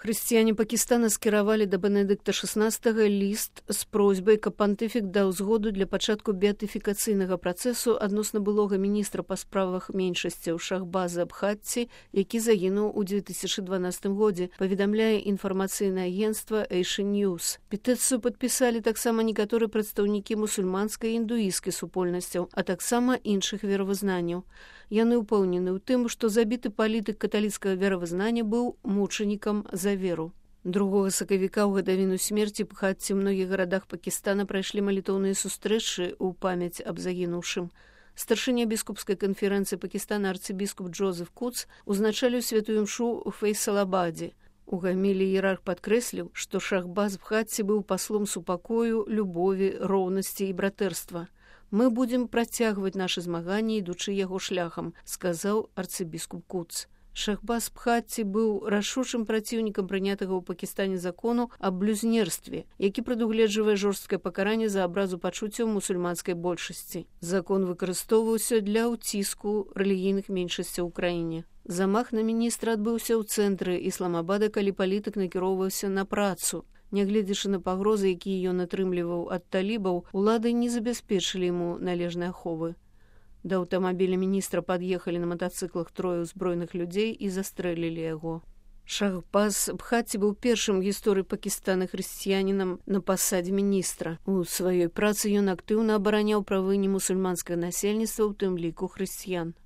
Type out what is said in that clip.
Хрысціяне Пакістана скіравалі да Бенедыкта XVI ліст з просьбай, каб пантыфік даў згоду для пачатку беатыфікацыйнага працэсу адносна былога міністра па справах меншасцяў Шахбаза Бхатці, які загінуў у 2012 годзе, паведамляе інфармацыйнае агенцтва Asian News. Петыцыю падпісалі таксама некаторыя прадстаўнікі мусульманскай і індуісцкай супольнасцяў, а таксама іншых веравызнанняў. Яны ўпэўнены ў тым, што забіты палітык каталіцкага веравызнання быў мучанікам за веру. 2 сакавіка ў гадавіну смерці Бхатці ў многіх гарадах Пакістана прайшлі малітоўныя сустрэчы ў памяць аб загінуўшым. Старшыня біскупскай канферэнцыі Пакістана арцыбіскуп Джозеф Куц узначаліў святую імшу ў Фейсалабадзе. У гамілі іерарх падкрэсліў, што Шахбаз Бхатці быў паслом супакою, любові, роўнасці і братэрства. «Мы будем працягваць нашы змаганні, ідучы яго шляхам», сказаў арцыбіскуп Куц. Шахбаз Бхатці быў рашучым праціўнікам прынятага ў Пакістане закону аб блюзнерстве, які прадугледжвае жорсткае пакаранне за абразу пачуццяў мусульманскай большасці. Закон выкарыстоўваўся для ўціску рэлігійных меншасцяў у краіне. Замах на міністра адбыўся ў цэнтры Ісламабада, калі палітык накіроўваўся на працу. Нягледзячы на пагрозы, якія ён атрымліваў ад талібаў, улады не забяспечылі яму належнай аховы. Да аўтамабіля міністра пад'ехалі на матацыклах 3 ўзброеных людзей і застрэлілі яго. Шахбаз Бхатці быў першым у гісторыі Пакістана хрысціянінам на пасадзе міністра. У сваёй працы ён актыўна абараняў правы немусульманскага насельніцтва, у тым ліку хрысціян.